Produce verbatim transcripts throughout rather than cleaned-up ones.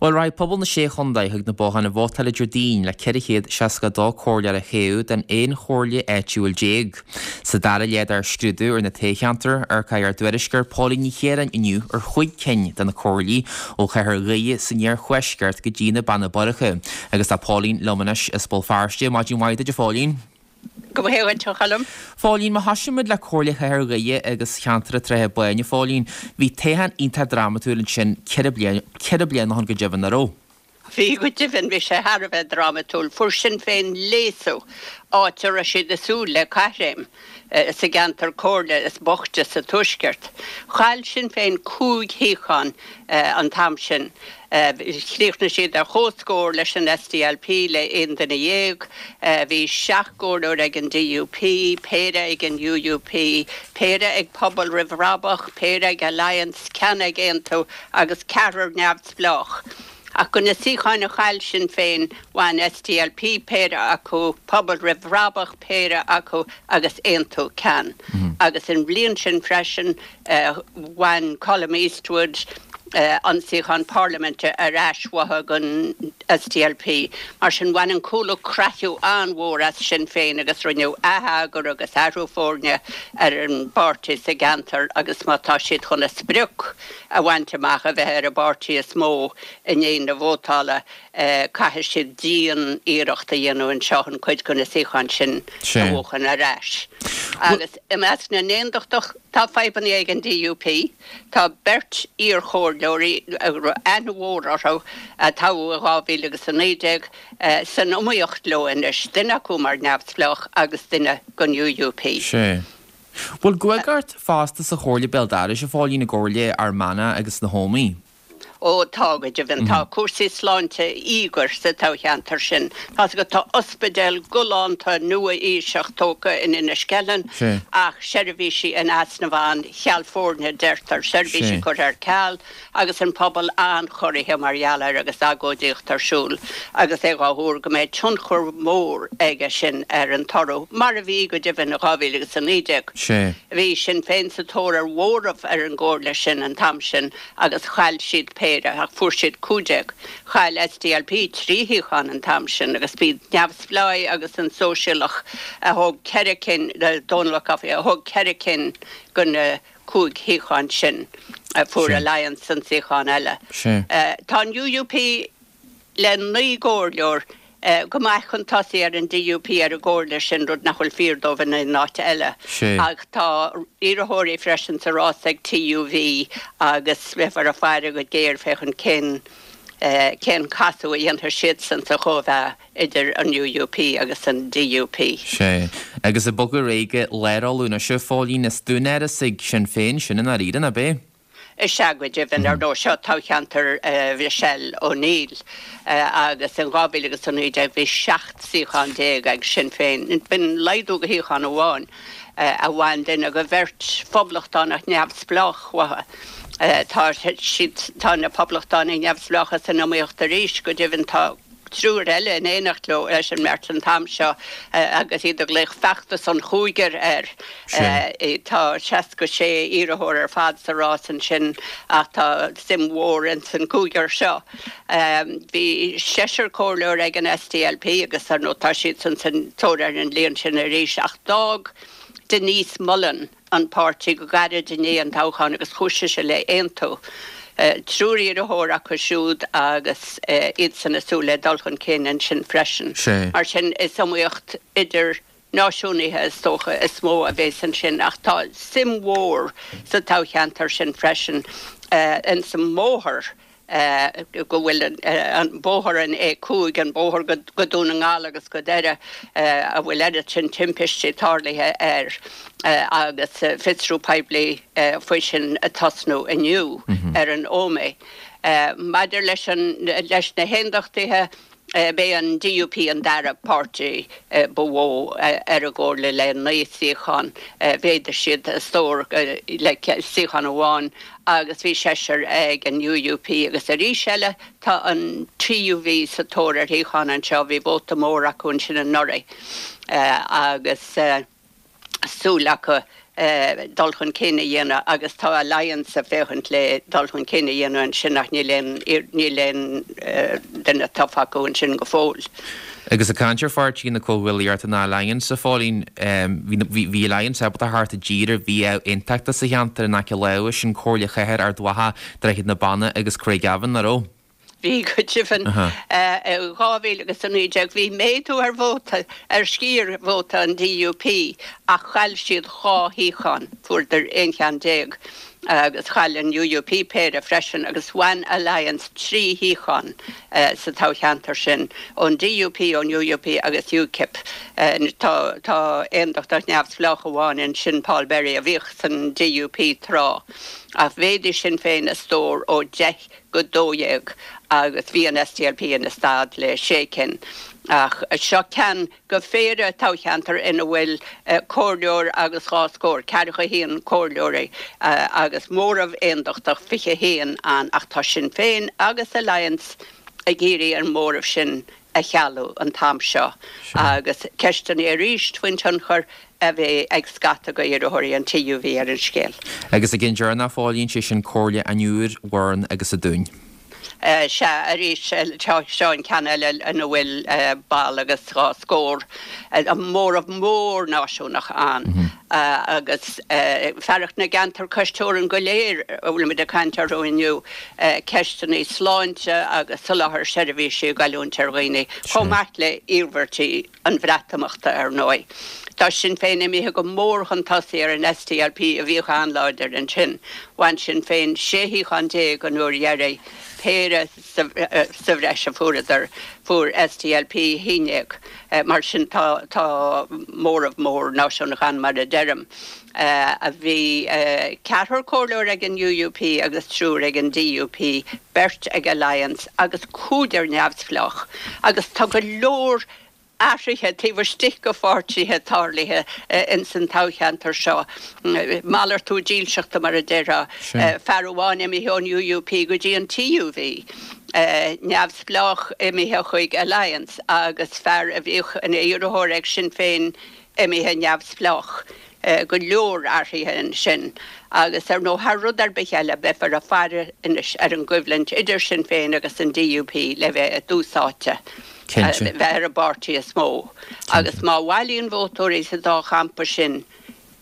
Bhuel, raghaidh pobal na Sé Chontae chuig na botháin a vótáil Déardaoin le ceithre chéad seasca dó comhairleoir a thoghadh don aon chomhairle áitiúil déag. Sa dara leath dár scrúdú ar na toghcheantair, amharcfaidh ár dtuairisceoir Póilín Ní Chiaráin inniu ar chúig cinn de na comhairlí ó chathair Dhoire san iarthuaisceart go dtí na Beanna Boirche. Agus tá Póilín liom anois as Béal Feirste. Maidin mhaith duit, a Phóilín. Go maith duit, a Choilm. Phóilín, má thosaímid le Comhairle Chathair Dhoire agus cheantar an tSratha Báin, a Phóilín, bhí toghchán iontach drámatúil ansin ceithre bliana, ceithre bliana ó shin go deimhin, nach raibh? Bhí, go deimhin, bhí sé thar a bheith drámatúil. Fuair Sinn Féin léasadh, áit a raibh siad ag súil le caithréim sa gceantar comhairle is boichte sa Tuaisceart. Chaill Sinn Féin cúig shuíochán an t-am sin. Chríochnaigh siad ar comhscór leis an S D L P le aon duine dhéag. Bhí seacht gcomhairleoir ag an D U P, péire ag an U U P, péire ag Pobal Roimh Bhrabach, péire ag Alliance, ceann ag Aontú agus ceathrar neamhspleách. Ach de na suíocháin a chaill Sinn Féin, bhain S D L P péire acu, Pobal Roimh Bhrabach péire acu agus Aontú ceann. Agus an bhliain sin freisin bhain Colum Eastwood an suíochán parlaiminte ar ais uathu don S D L P. Mar sin bhain an cúlú creathadh an-mhór as Sinn Féin agus rinneadh atheagar agus athrú foirne ar an bpáirtí sa gceantar agus má tá siad chun a sprioc a bhaint amach a bheith ar an bpáirtí is mó i ndiaidh na vótála, caithfidh siad dian-iarracht a dhéanamh anseo an cuid de na suíocháin sin a bhuachan ar ais. Agus i measc na n-aontachtach tá fadhbanna ag an D U P, tá beirt iarchomhairleoirí aithne mhór orthu a toghadh i dhá mhíle agus a naoi déag san iomaíocht leo anois, duine acu mar neamhspleách agus duine don U U P. Sé. Bhfuil guag ort fosta sa Chomhairle Béal Dorais, a Phóilín, i gComhairle Fhear Manach agus na hÓmaí? Ó tá, go deimhin, tá cúrsaí sláinte íogair sa toghcheantar sin. Tá go tá ospidéal galánta nua-aoiseach tógtha in Inis Ceithleann ach seirbhísí in easnamh ann, cheal foirne deirtear, seirbhísí curtha ar ceal agus an pobal an-chorraithe mar gheall air agus agóidíocht ar siúl agus é á thuar go mbeidh tionchar mór aige sin ar an toradh mar a bhí go deimhin i dhá mhíle agus a naoi déag. Bhí Sinn Féin sa tóir ar mhóramh ar an gcomhairle sin an t-am sin agus chaill siad péire ach fuair siad cúig déag. Chaill S D L P trí shuíochán an t-am sin agus bhí neamhspleáigh agus an sóisialach a thóg ceithre cinn, Dónal Ó Cofaigh, a thóg ceithre cinn de na cúig shuíochán sin. Fuair Alliance an suíochán eile. Tá an U U P le naoi gcomhairleoir go maith chun tosaigh ar an D U P ar an gcomhairle sin, rud nach bhfuil fíor dóibh in aon áit eile. Ach tá iarrthóirí freisin sa rás ag T U V agus beifear ag faire go géar féachaint cén cén casadh a dhéanfaidh siadsan sa chóimheá idir an U U P agus an D U P. Sé. Agus ag bogadh ar aghaidh go Lár Uladh anois, a Phóilín, is dún ag Sinn Féin sin i ndáiríre, ab é? Is ea, go deimhin, ar ndóigh seo toghcheantar Michelle O'Neill agus in dhá mhíle agus a naoi déag bhí seacht suíochán déag ag Sinn Féin. B'in laghdú de shuíochán amháin a bhain duine de bheirt phoblachtánach neamhspleách uathu. Tá siad tá na poblachtánaigh neamhspleácha san iomaíocht arís, go deimhin tá triúr eile in éineacht leo leis an mbeirt an t-am seo agus iad ag glaoch feachtas an chúigir air. Tá seasca sé iarrthóir ar fad sa rás ansin ach tá suim mhór in san cúigear seo. Bhí seisear comhairleoir ag an S D L P agus ar ndóigh tá siad san san tóir ar an líon sin arís ach d'fhág Denise Mullen an páirtí go gairid i ndiaidh an toghcháin agus chuaigh sí le hAontú. Triúr iarrthóir acu siúd agus iad san ag súil le dul chun cinn ansin freisin. Mar sin is iomaíocht idir náisiúnaithe is dócha is mó a bheas ansin ach tá suim mhór sa toghcheantar sin freisin in sa mbóthar go bhfuil an bóthar an A cúig, an bóthar go Dún na nGall agus go Doire, a bhfuil oiread sin timpistí tarlaithe air agus fiosrú poiblí faoi sin ag tosnú inniu ar an Ómaigh. Maidir leis an leis na haondachtaithe, b'é an D U P an dara páirtí ba mhó ar an gcomhairle le naoi suíochán. Mhéadaigh siad a stór le suíochán amháin agus bhí seisear ag an U U P agus arís eile tá an T U V sa tóir ar shuíochán anseo, bhí vóta mór acu ansin anuraidh agus súil acu dul chun cinn a dhéanamh agus tá Alliance ag féachaint le dul chun cinn a dhéanamh ansin ach níl aon níl aon duine tofa acu ansin go fóill. Agus ag caint ar pháirtí na Comhghuaillíochta ná Alliance a Phóilín, bhí Alliance ábalta theacht i dtír ar bhia aontachta sa cheantar in aice láimhe, sin Comhairle Chathair Ard Mhacha, Droichead na Banna agus Craigavon, nach raibh? Bhí go deimhin. I dhá mhíle agus a naoi déag bhí méadú ar vóta, ar sciar vóta an DUP ach chaill siad dhá shuíochán, fuaireadar aon cheann déag agus chaill an UUP péire freisin agus bhain Alliance trí shuíochán sa toghcheantar sin, ón DUP, ón UUP agus UKIP. Tá tá aondachtach neamhspleách amháin ansin, Paul Berry, a bhíodh san DUP tráth ach mhéadaigh Sinn Féin a stór ó deich go dó dhéag agus bhí an SDLP ina stad le sé cinn. Ach seo ceann de phéire toghcheantar ina bhfuil comhairleoir agus dhá scór, ceathracha a haon comhairleoirí agus móramh aondachtach, fiche a haon ann ach tá Sinn Féin agus Alliance ag iarraidh an móramh sin a chealú an t-am seo agus ceisteanna arís faoin tionchar a bheidh ag scata d'iarrthóirí an TUV ar an scéal. Agus ag an deireadh a Phóilín, sé sin Comhairle an Iúir, Bhoirn agus an Dúin. Sea, arís, seo an ceann eile ina bhfuil ball agus dhá scór, móramh mór náisiúnach ann agus fearacht na gceantar cois teorann go léir a bhfuilimid ag caint orthu inniu, ceisteanna sláinte agus soláthar seirbhísí ag goilliúint ar dhaoine, chomh maith le hiarmhairtí an Bhreatimeachta, ar ndóigh. Tá Sinn Féin imithe go mór chun tosaigh ar an SDLP a bhíodh an-láidir ansin. Bhain Sinn Féin sé shuíochán déag an uair dheiridh, péire sa bhreis a fuaireadar, fuair SDLP haon déag. Mar sin tá tá móramh mór náisiúnach ann mar a deirim. Bhí ceathrar comhairleoir ag an UUP agus triúr ag an DUP, beirt ag Alliance agus cúigear neamhspleách agus tá go leor athruithe taobh istigh de pháirtithe tarlaithe ins an toghcheantar seo. Malartú dílseachta mar a déarfá. Fear amháin imithe ón UUP go dtí an TUV, neamhspleách imithe chuig Alliance agus fear a bhíodh ina iarrthóir ag Sinn Féin imithe neamhspleách. Go leor athruithe ansin agus ar ndóigh thar rud ar bith eile beifear ag faire anois ar an gcoimhlint idir Sinn Féin agus an DUP le bheith i dtús áite, bheith ar an bpáirtí is mó. Agus má bhailíonn vótóirí sa dá champa sin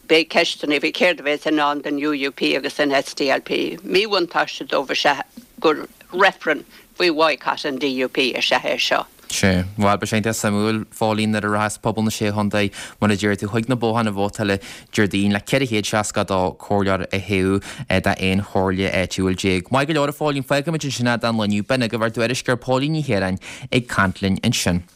beidh ceisteanna faoi céard a bheas i ndán don UUP agus don SDLP. Míbhuntáiste dóibh is ea gur reifreann faoi bhoycott an DUP is ea é seo. Sea. Bhuel, beidh sé iontach suimiúil, a Phóilín, nuair a rachas pobal na Sé Chontae, mar a deir tú, chuig na botháin vótála Déardaoin le ceithre chéad seasca a dó comhairleoir a thoghadh d'aon chomhairle áitiúil déag. Maith go leor, a Phóilín, fágfaimid ansin é don lá inniu. B'in agaibh ár dtuairisceoir Póilín Ní Chiaráin ag caint linn ansin.